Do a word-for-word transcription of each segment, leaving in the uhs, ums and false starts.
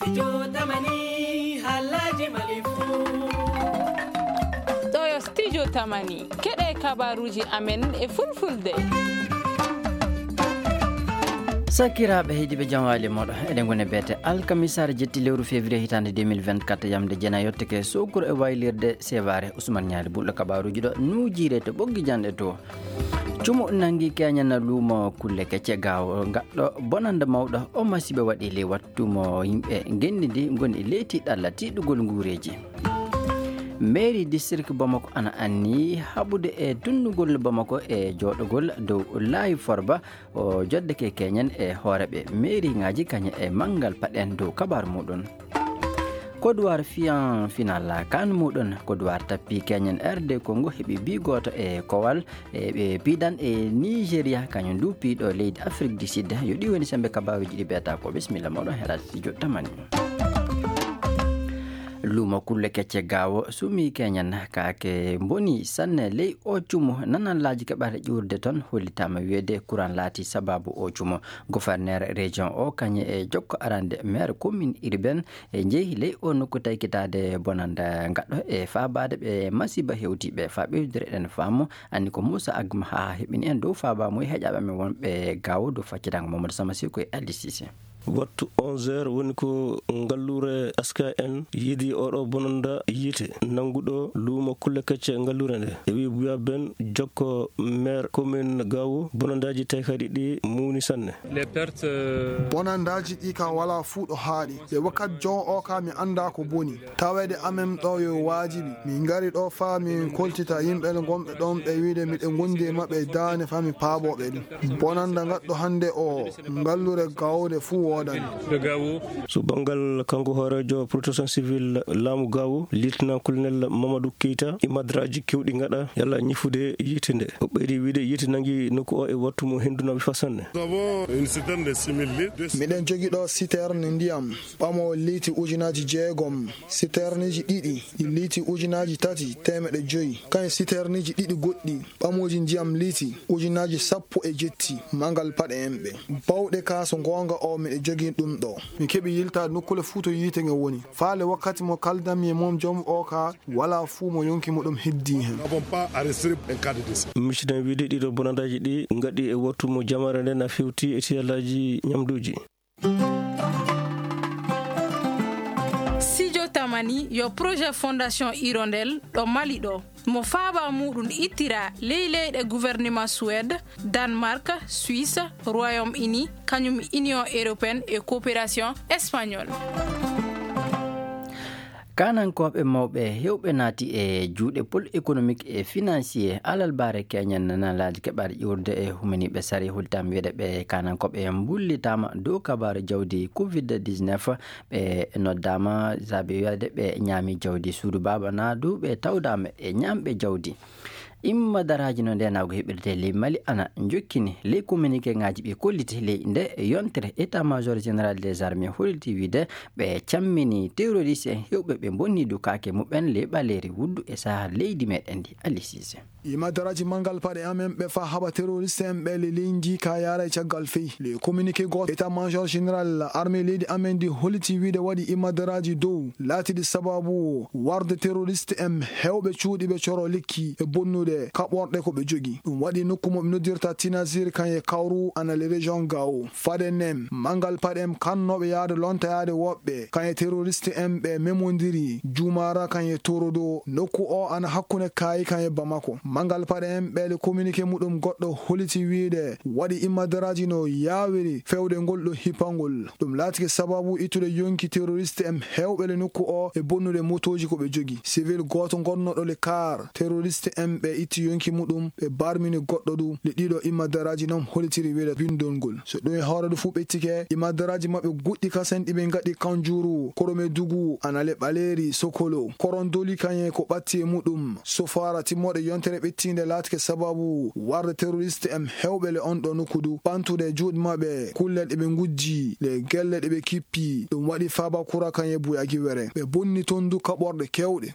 Studio Tamani, haalaaji Mali fuu. Ɗo yo Studio Tamani, keɗe kabaruuji amen e fulfulde. Sakiraaɓe heediiɓe, jam waali mooɗon. Eɗen ngoni e beete alkamisaare jetti lewru février hitaande deux mille vingt-quatre, yamde jeenayi yottake sokuru e waylirde seewaare. Usman Ñaali Bulɗo kabaruuji ɗo nuujiire to ɓoggi janɗe to. Cumu nangi keñana luumo kulle kecce gawo gaɗɗo bonande mawɗo o masiiba waɗi ley wattu mo yimɓe ngenndi ndi ngoni ley tiiɗalla tiiɗugol nguureeji. Mairie district Bamako ana anni haɓude e dundugol Bamako e jooɗogol dow laayi forba o joddeke keñen e hooreɓe mairie ŋaaji kañe e manngal paɗen dow kabaar muɗum. Kodowar fiyan final kan muɗum, Kodowar tappi keñen R D Congo heɓi bi gooto e kowal. E ɓe piidan e Nigeria, kañum ndu piiɗo leydi Afrique du Sud. Yo ɗi woni sembe kabaruuji ɗi ɓeeta ko. Bisimilla moɗon heɗaade studio Tamani. Luumo kulle kecce gawo sumi keñen kaake mboni sanne ley o cumu. Nanallaaji keɓata ƴuurde toon hollitaama wiyeede kuran laati sababu o cumu. Gouverneur région o kañe e jokko arande maire commune urbaine e njehi ley o nokku taykitaade bonanda ngaɗɗo e faabaade ɓe masiiba hewtiiɓe. Faa ɓeydude eɗen faamu anni ko Moussa Agma haa heɓini en dow faabaamuye heƴaaɓe men wonɓe gawo dow faccitango Mamadou Sama Siko e Ali Cissé. Wattu onze heures woni ko ngalluure S K N yiidi oɗo bonanda yiite nannguɗo luumo kulle kecce ngalluure nde. E wi Buya Ben Jokko, maire commune Gawo, bonandaaji taykaɗi ɗi muuni sanne. Les pertes, euh, Bonandaaji ɗi ka wala fuu ɗo haaɗi. Ɓe wakkati jon o ka mi annda ko boni. Taweede amen ɗo yo waajibi. Min ngari ɗo faa min koltita yimɓe gonɓe ɗon ɓe wiide miɗen ngondi e maɓɓe e daane faa mi paaboo ɓe ɗum. Bonanda ngaɗɗo hannde o, ngallure gawde fuu woodani. So banngal kanko hooreejo protection civile laamu Gawo, lieutenant colonel Mamadou Keita, imadraaji keewɗi ngaɗa yalla ñifude yiite nde. O ɓeydi wiide yiite nangi nokku o e wattu mo hendu nawi fa sanne. Nous avons une citerne de six mille litres. Miɗen jogi ɗo citerne ndiyam ɓamo liiti ujunaaji jeegom, citerniji ɗiɗi ɗi liiti ujunaaji tati teemeɗɗe joyi, kañum citerniji ɗiɗi goɗɗi ɓamuuji ndiyam liiti ujunaaji sappo e jetti. Manngal paɗe en ɓe bawɗe ka, so goonga o miɗo jogii ɗum ɗo. Mi keɓi yiltaade nokkule fuu to yiite nge woni. Faale wakkati mo kaldanmi e mum joom o ka, wala fuu mo yonki muɗum heddii hen. Nous n'avons pas enregistré un cas de décès. Misiɗen wiide ɗiɗo bonandaaji ɗi ngaɗi e wattu mo jamare nde na fewti e tiyalaaji ñamduuji. Sijo Tamani yo projet Fondation Hirondelle ɗo Mali ɗo. Mo faaba muɗum ittira ley leyɗe gouvernement Suède, Danemark, Suisse, Royaume-Uni, kañum Union Européenne e Coopération Espagnole. Kaanankooɓe mawɓe heewɓe naati e juuɗe pôle économique et financier. Alalbaare keñen nanalaaji keɓaɗe ƴuurde e humaniiɓe sari hultam wiyeede ɓe kaanankooɓe mbullitaama dow kabaaru jawdi covid dix-neuf. Ɓe noddaama saabe wiyeede ɓe ñaami jawdi suudu baaba naa du ɓe tawdaama e ñaamɓe jawdi. Imma daraaji no ndeenaagu heɓirte ley Mali ana njokkini ley communiqué ŋaaji ɓe kolliti ley nde yontere état major général des armées holiti wiide ɓe cammini terroriste en heewɓe ɓe bonni du kaake muɓɓen ley ɓaleeri wuddu e saha leydi meɗen ndi. Ali Cissé. Imadaraaji manngal paɗe amen ɓe fa haɓa terroriste en ɓe le leydi ka yaara e caggal fey. Le communiqué gooto état major général armée leydi amen ndi holiti wiide waɗi imadaraaji dow laatiɗi sababu warde terroriste en heewɓe cuuɗi ɓe coro lekki e bonnude kaɓorɗe ko ɓe jogi. Ɗum waɗi nokku mo ɓe noddirta Tinazir kan e Kawru ana le région Gao. Faade nen, manngal paɗe en kannooɓe yaade lonta yaade woɓɓe kan e terroriste en ɓe memondiri Jumaara kan e Torodo. Nokku o ana hakkunde Kaayi kan e Bamako. Manngal paɗe en ɓe le communiqué muɗum goɗɗo holiti wiide waɗi imadaraaji no yaawiri fewde ngol ɗo hippangol. Ɗum laatike sababu ittude yonki terroriste en heewɓe le nokku o e bonnude motooji ko ɓe jogi. Civil gooto gonnoɗo le car terroriste en ɓe itti yonki muɗum, ɓe barmini goɗɗo du. Le ɗiɗo imadaraaji noon holitiri wiide bindol ngol. So ɗum e hoore du fuu ɓettike, imadaraaji maɓɓe goɗɗi kasen ɗi ɓe ngaɗi Kanjuru, Koromedugu, Anale Ɓaleeri, Sokolo, Korondoli kañe ko ɓatti e muɗum. Sofaara timmoɗe yontere ɓettiinde laatike sababu warde terroriste en heewɓe le on ɗo nokku du, ɓantude e juuɗe maɓɓe kullel ɗe ɓe ngujji, le gelle ɗe ɓe kippi. Ɗum waɗi Fabakura kañe Buyagiwere. Ɓe bonni toon du kaɓorɗe keewɗe.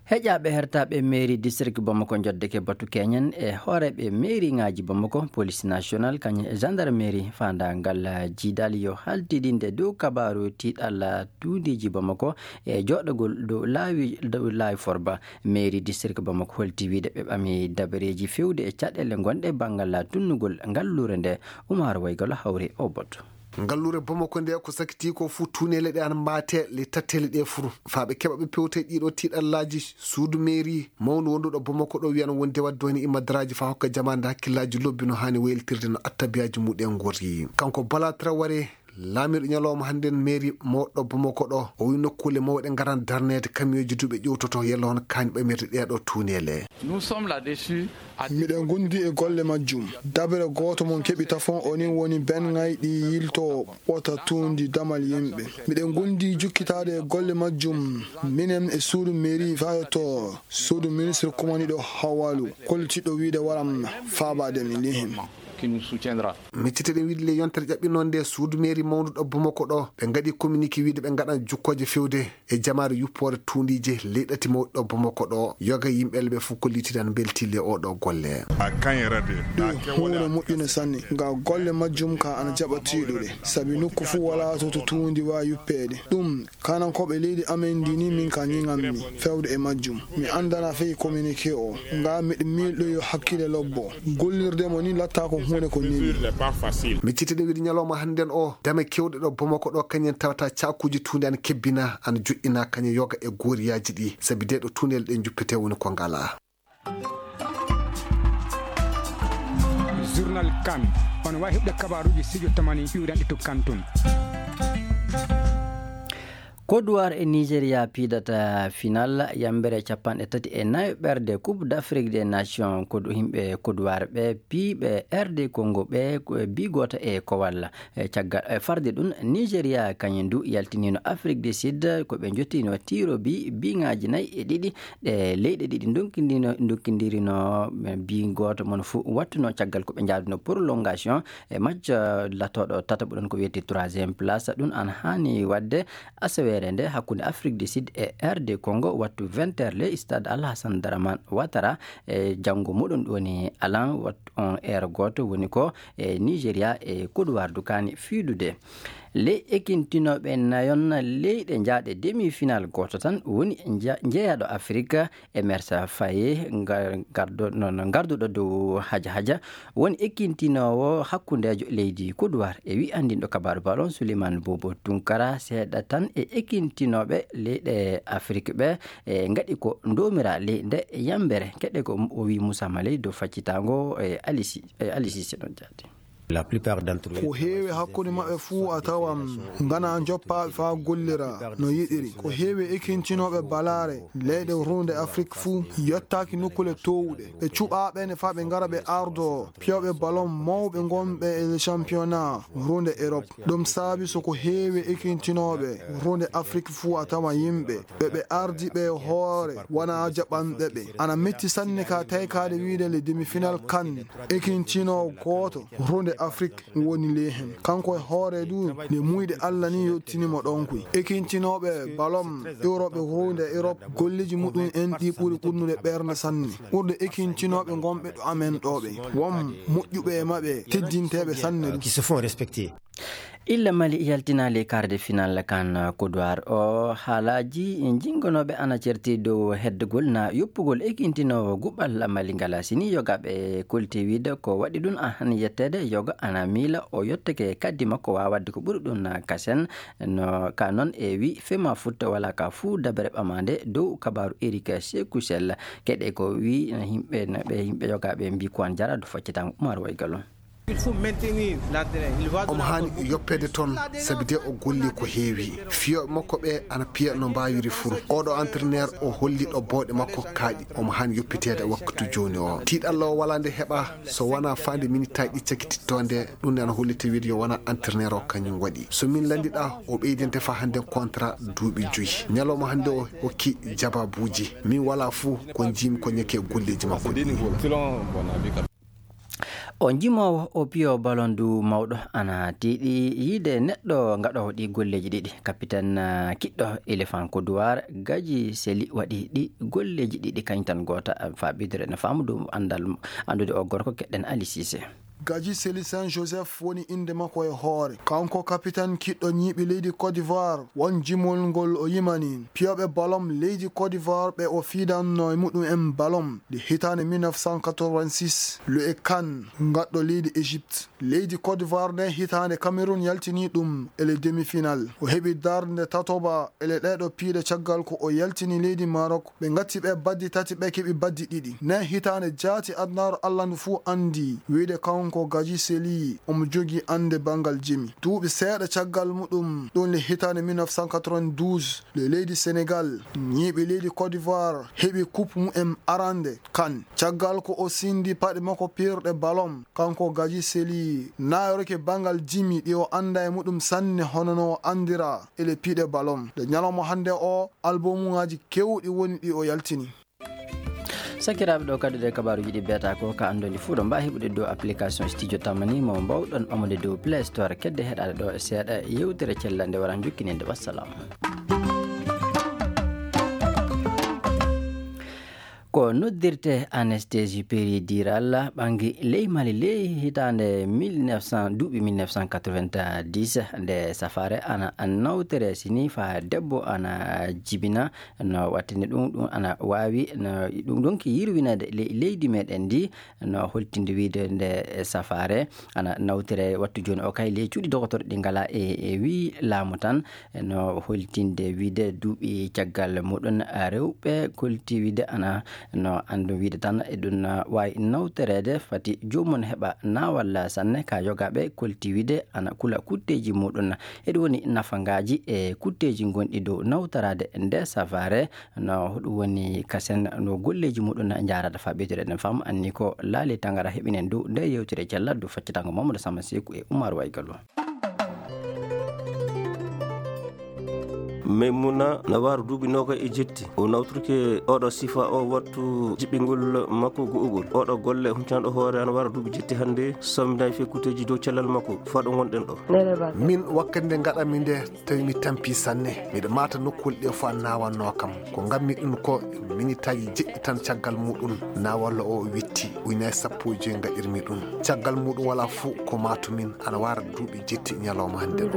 Heƴaaɓe hertaaɓe mairie district Bamako njoddeke batu keñen e hooreeɓe mairie ŋaaji Bamako, police national, kañum e gendarmerie faandaangal jiidal yo haltidinde dow kabaaru tiiɗalla tuundiiji Bamako e jooɗagol dow laawi, dow laawi forba. Mairie district Bamako holti wiide ɓe ɓami dabareeji fewde e caɗeele ngonɗe banngal tunnugol ngalluure nde. Umaar Waygalo hawri o batu. Ngalluure Bamako nde ko sakiti ko fuu tuuneele ɗe ana mbaate le tattele ɗe fuu. Faa ɓe keɓa ɓe pewta e ɗiɗo tiiɗallaaji, suudu mairie mawndu wonduɗo Bamako ɗo wiyano wonde wadde woni imadaraaji faa hokka jamaande hakkillaaji lobbi no haani wayltirde no attabiyaaji muɗen ngorri. Kanko Bala Traoré, laamiiɗo ñalawma hannden mairie mawɗo Bamako ɗo, o wi nokkuule mawɗe ngaran darneede kamiyooji duuɓe ƴewtoto yalla hono kaani ɓamirde ɗee ɗo tuuneele. Nous sommes là-dessus. Miɗen gondi e golle majjum. Dabere gooto mon keɓi tafon onin woni ben ŋayɗi yilto ɓota tuundi damal yimɓe. Miɗen gondi jukkitaade e golle majjum. Minen e suudu mairie faa yotto suudu ministre kumaniɗo hawalu. Kollitiɗo wiide waram faabaade mi lihin. Qui nous soutiendra. Micciteɗen wiide le yontere ƴaɓɓinoo nde suudu mairie mawndu ɗo Bamako ɗo, ɓe ngaɗi communiqué wiide ɓe ngaɗan jukkooje fewde e jamaare yuppoore tuundiije leyɗati mawɗi ɗo Bamako ɗo. Yoga yimɓe ɓe fof kollitiɗan mbeltiile o ɗo golle. Ɗum huunde moƴƴunde sanne, nga golle majjum ka ana jaɓa tiiɗude, sabi nokku fof walaa to to tuundi waa yuppeede. Ɗum, kanankooɓe leydi amen ndi ni min ka ñiŋanmi fewde e majjum. Mi anndanaa fey communiqué o, nga miɗo miilɗo yo hakkile lobbo. Gollirde mo ni latta ko huunde ko neli. Miccitde wiide ñalawma hannden o, dame kewɗe ɗo Bamako ɗo, kañen tawata caakuuji tuundi ana kebbina, ana joɗɗina kañe yoga e gooriyaaji ɗi, sabi de ɗo tuunel ɗe juppete woni ko ngala. Journal Kan, on waawi heɓde kabaaruuji studio tamani iwranɗi to Kan tun. Côte d'Ivoire e Nigeria piidata final yambere capanɗe tati e nayo ɓerde Coupe d'Afrique des Nations. Ko ɗo yimɓe Côte d'Ivoire ɓe piiɓe R D Congo ɓe ko bi gooto e ko walla. E caggal, e farde ɗum, Nigeria kañum du yaltiniino Afrique du Sud, ko ɓe njottino tiro bi, biŋaaji nayi e ɗiɗi. Ɗe leyɗe ɗiɗi ndonkindino-, ndonkindirino, bi gooto mon fuu wattuno caggal ko ɓe njaaduno prolongation e match, eh, latooɗo tataɓo ɗon ko wiyetee troisième place. Ɗum ana haani waɗde asaweere nde hakkunde Afrique du Sud e R D Congo, wattu vingt heures, le stade Alassane Dramane Ouattara. E janngo muɗum ɗum woni alan, wattu on heure gooto, woni ko e Nigeria e Côte d'Ivoire du kaani fiidude. Ley ekintinooɓe nayon leyɗe njaaɗe demi-finale gooto tan woni nja-, njeyaɗo Afrique, Emersa Faye, nga-, gardo-, no, no garduɗo dow haja haja, woni ekintinoowo hakkundeejo leydi Côte d'Ivoire e wi anndinɗo kabaaru ballon Souleymane Bobo Tunkara, seeɗa tan e ekintinooɓe leyɗe Afrique ɓe, e ngaɗi ko ndoomiraa ley nde yambere. Keɗe ko o wi Moussa Maley dow faccitaango e Alisi, e Alisi Seno Jaati. La plupart d'entre eux. Ko heewi hakkunde maɓɓe fuu a tawan ngana njoppaaɓe faa gollira no yiɗiri. Ko heewi ekintinooɓe balaare leyɗe runde Afrik fuu yottaaki nokkuule toowuɗe. Ɓe cuɓaaɓe ne faa ɓe ngara ɓe ardo piyooɓe ballon mawɓe ngonɓe e le championnat runde Europe. Ɗum saabi so ko heewi ekintinooɓe runde Afrik fuu a tawa yimɓe ɓe ɓe ardi ɓe hoore wona jaɓanɓe ɓe. Ana metti sanne ka taykaade wiide le demi-finale kan ekintinoo gooto runde Afrik woni ley hen. Kanko e hoore du nde muyɗe Alla ni yottinimo ɗon koy. Ekintinooɓe ballon Europe runde Europe golleeji muɗum en ɗi ɓuri ɓurnude ɓernde sanne. Ɓurde ekintinooɓe ngonɓe ɗo amen ɗo ɓe. Won moƴƴuɓe e maɓɓe teddinteeɓe sanne du. Qui se font respecter. Illa Mali yaltinaali quart de finale kan Côte d'Ivoire o, haalaaji jinngonooɓe ana certi dow heddugol na yoppugol ekintinoowo guɓal Mali ngala. Sini yogaaɓe kolti wiide ko waɗi ɗum a han yetteede yoga ana miila o yottake kaddi makko waawa waɗde ko ɓuri ɗum na kasen. No ka noon e wi fema futta wala ka fuu dabere ɓamaande dow kabaaru Eric Sekou Sall. Keɗe ko wi yimɓe, ɓe yimɓe yogaaɓe mbi ko an jara do faccitaango Umar Waygalo. Il faut maintenir l'entraîneur. Il va omo haani yoppeede toon, sabi de o golli ko heewi. Fiyooɓe makko ɓe ana piya no mbaawiri fuu. Oɗo entraîneur o holli ɗo bowɗe makko kaaɗi. Omo haani yoppiteede waktu jooni o. Tiiɗalla o walaa nde heɓa so wonaa faande minitaaji ɗi cakititto nde. Ɗum ne ana holliti wiide yo wona entraîneur o kañum waɗi. So min lanndiɗa, o ɓeydinte faa hannde contrat duuɓi joyi. Ñalawma hannde o hokki jababuuji. Min walaa fuu ko njiimi ko ñeke golleeji makko ɗi. Selon mon avis, ka- O jimoowo, o piyo ballon du mawɗo, ana tiiɗi yiide neɗɗo gaɗoowo ɗi golleeji ɗiɗi. Kapiten, ah, kiɗɗo Elefanko Duwar, Gaji Seli waɗi ɗi golleeji ɗiɗi kañtan goota, ah, faa ɓeydude no faamu dow anndal, anndude o gorko keɗɗen Ali Sise. Gaji Seli Saint Joseph woni innde makko e hoore. Kanko kapiten kiɗɗo ñiiɓi leydi Côte d'Ivoire, won jimol ngol o yimani. Piyooɓe ballon leydi Côte d'Ivoire ɓe o fiidanno e muɗum en ballon ɗi hitaande mille neuf cent quatre-vingt-six, le kan gaɗɗo leydi Égypte. Leydi Côte d'Ivoire nde hitaande Cameroun yaltini ɗum e le demi-finale. O heɓi darnde tatoba e le ɗeɗo piiɗe caggal ko o yaltini leydi Maroc. Ɓe ngatti ɓe baddi tati, ɓe keɓi baddi ɗiɗi. Nde hitaande jaati adunaaru Allah ndu fuu anndi wiyde kanko Gaji Seli omo jogii annde banngal jimi. Duuɓi seeɗa caggal muɗum, ɗum le hitaande mille neuf cent quatre-vingt-douze, le leydi Sénégal, ñiiɓi leydi Côte d'Ivoire, heɓi coupe mumen arande kan. Caggal ko o sindi paɗe makko piirɗe ballon, kanko Gaji Seli naayoroke banngal jimi ɗi o annda e muɗum sanne hono no o anndira e le piiɗe ballon. Nde ñalawma hannde o, albumuŋaaji keewɗi woni ɗi o yaltini. Sakiraaɓe, ɗo kadi ɗe kabaaruuji ɗi beeta ko ka anndonde fuu ɗo mbaa heɓude dow application Studio Tamani mo mbawɗon ɓamude dow Play Store. Kedde heɗaade ɗo e seeɗa yewtere cellal nde wara jokkininde. Wassalam. Ko noddirte anesthésie péridurale ɓangi ley Mali ley hitaande mille neuf cent, duuɓi mille neuf cent quatre-vingt-dix, nde safaare ana nawtere sini faa debbo ana jibina no wattinde ɗum, ɗum ana waawi no ɗum ɗon ki yirwinade ley leydi meɗen ndi, no holtinde wiide nde safaare ana nawtere wattu jooni o kay ley cuuɗi dogotoro ɗi ngala e, e wii laamu tan, no holtinde wiide duuɓi caggal muɗum rewɓe kolti wiide ana no andu wiide tan e ɗum waawi nawtoreede fati joomum heɓa naawal sanne ka yogaaɓe kolti wiide ana kula kutteeji muɗum. Eɗum woni nafangaaji e kutteeji gonɗi dow nawtoraade nde safaare. No ɗum woni kasen no golleeji muɗum njaarata faa ɓeydude ɗen fam anni ko laali tangara heɓinen dow nde yewtere cellal dow faccatango Mamadou Sama Seku e Oumar Waygallo. Maymuna na wara duuɓi noogay e jetti. O nawtorike oɗo sifa o wattu jiɓɓingol makko go'ugol. Oɗo golle huncanɗo hoore ana wara duuɓi jetti hannde, samminaay fekkuteeji dow cellal makko. Faa ɗo ngonɗen ɗo. Min wakkati nde ngaɗanmi nde, tawi mi tampi sanne. Miɗo maata nokkuule ɗe fof a naawannoo kam. Ko ngammi ɗum ko, minitaaji jeɗɗi tan caggal muɗum, naawalla o witti. Ujunaaji sappo e joy ngaɗirmi ɗum. Caggal muɗum wala fof ko maatu min, ana wara duuɓi jetti ñalawma hannde o.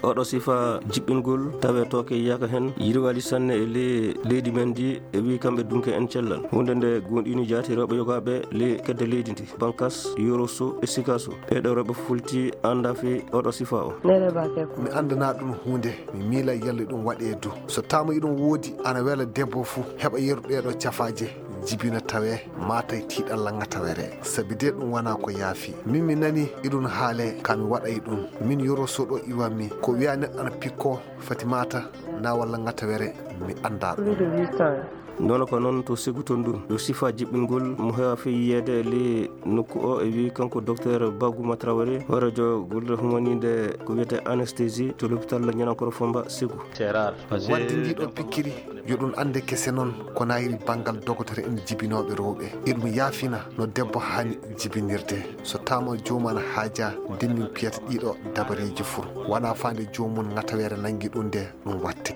Oɗo sifa jiɓɓingol tawe tooke yiyaka heen, yirwaali sanne e le-, leydi men ndi, e wi kamɓe dunke en cellal. Huunde nde gonɗini jaati rewɓe yogaaɓe le kedde leydi ndi, Bankas, Yoroso e Sikaso. Ɓeeɗo rewɓe fulti annda fi oɗo sifa o. Mi anndanaa ɗum huunde, mi miila yalla ɗum waɗee du. So taama iɗum woodi, ana wela debbo fuu heɓa yeru ɗeeɗo cafaaje. Jibina tawe, maatay tiiɗalla ŋatawere. Sabi de ɗum wona ko yaafi. Min mi nani iɗum haale, ka mi waɗay ɗum. Min Yoro Soɗo iwanmi. Ko wiya neɗɗo ana pikko, fati maata, na walla ŋatawere, mi anndaa ɗum. Noon ko noon to Segu to ndun. Yo sifa jiɓɓingol mo heewa fii yiyeede le nokku o e wi kanko Docteur Baguma Traoré, hooreejo golle humaniinde ko wiyetee anesthésie to l'hôpital Ñanankoro Fomba Segu. Wadde ndiɗo pikkiri, yo ɗum annde kese noon, ko nayri banngal dogotoro en jibinooɓe rewɓe. Iɗum yaafina no debbo haani jibinirde. So taama joomum ana haaja, ndin min piyata ɗiɗo dabareeji fur. Wona faande joomum ŋatawere nanngi ɗum nde ɗum watte.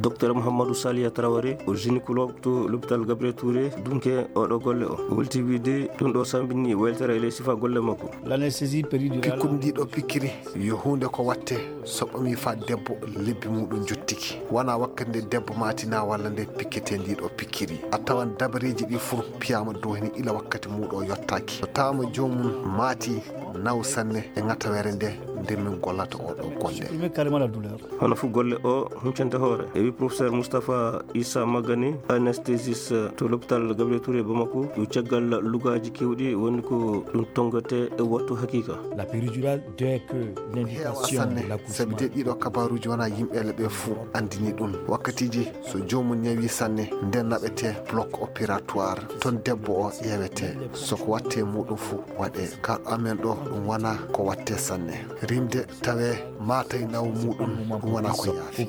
Docteur Mouhamadou Saliya Traoré, o gynécologue to l'hôpital Gabriel Touré, dunke oɗo golle o. O welti wiide ɗum ɗo sambini weltere e ley sifa golle makko. L'anesthésie péridurale. Pikkudi ndiɗo pikkiri yo huunde ko watte so ɓami faa debbo lebbi muɗum njottiki. Wona wakkati nde debbo maati na walla nde pikkete ndiɗo pikkiri. A tawan dabareeji ɗi fur piyaama dow heen ila wakkati muɗo yottaaki. So taama joomum maati naw sanne e ŋatawere nde, nde min gollata oɗo golle. Supprimer carrément la douleur. Hono fuu golle o huncante hoore. E wi professeur Moustapha Issa Magani, anesthésiste to l'hôpital Gabriel Touré Bamako, ɗum caggal lugaaji keewɗi woni ko ɗum tonngete e wattu hakiika. La péridurale, dès que l'indication de l'accouchement. Heewa sanne, sabi de ɗiɗo kabaaruuji wona yimɓe le ɓe fuu anndini ɗum. Wakkatiiji so Joomum ñawi sanne, nden naɓete bloc opératoire. Ton debbo o ƴeewete. So ko watte muɗum fu waɗe. Kaɗo amen ɗo ɗum wona ko watte sanne. Rimde tawe maatay naw muɗum ɗum wona ko yaafi.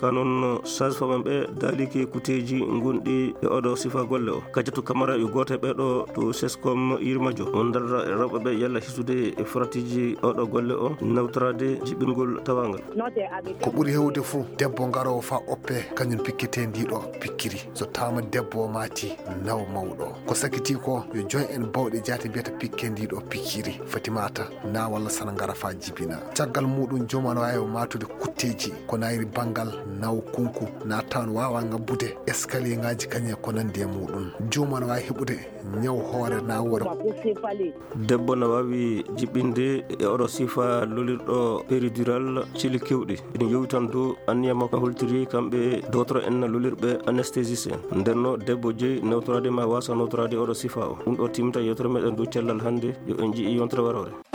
Ka noon sage-femme en ɓe daalike kuteeji gonɗi e oɗo sifa golle o. Kajatu Kamara yo gooto e ɓeɗo to seskom yirmajo on darra e rewɓe ɓe yalla hisude e faratiiji oɗo golle o nawtoraade jiɓingol tawangal. Ko ɓuri hewde fuu debbo ngaroowo faa oppe kañum pikkete ndiɗo pikkiri. So taama debbo o maati naw mawɗo. Ko sakiti ko yo joy en bawɗe jaati mbiyata pikke ndiɗo pikkiri. Fatimata na walla sana ngara faa jibina. Caggal muɗum joom ana waawi matude kutteeji ko nayri banngal naw kunku na tawan waawa ngabbude escalier ngaji kañe ko nandi e muɗum. Joom ana waawi heɓude ñaw hoore na woore. Debbo na waawi jiɓɓinde e oɗo sifa lolirɗo péridural cili kewɗi. Ina yowi tan dow anniya makko holtiri kamɓe dotoro en lolirɓe anesthésiste en. Ndenno debbo jeyi nawtoraade ma wasa nawtoraade oɗo sifa o. Ɗum ɗo timmita yewtere meɗen dow cellal hannde. Yo en ji'i yontere warore.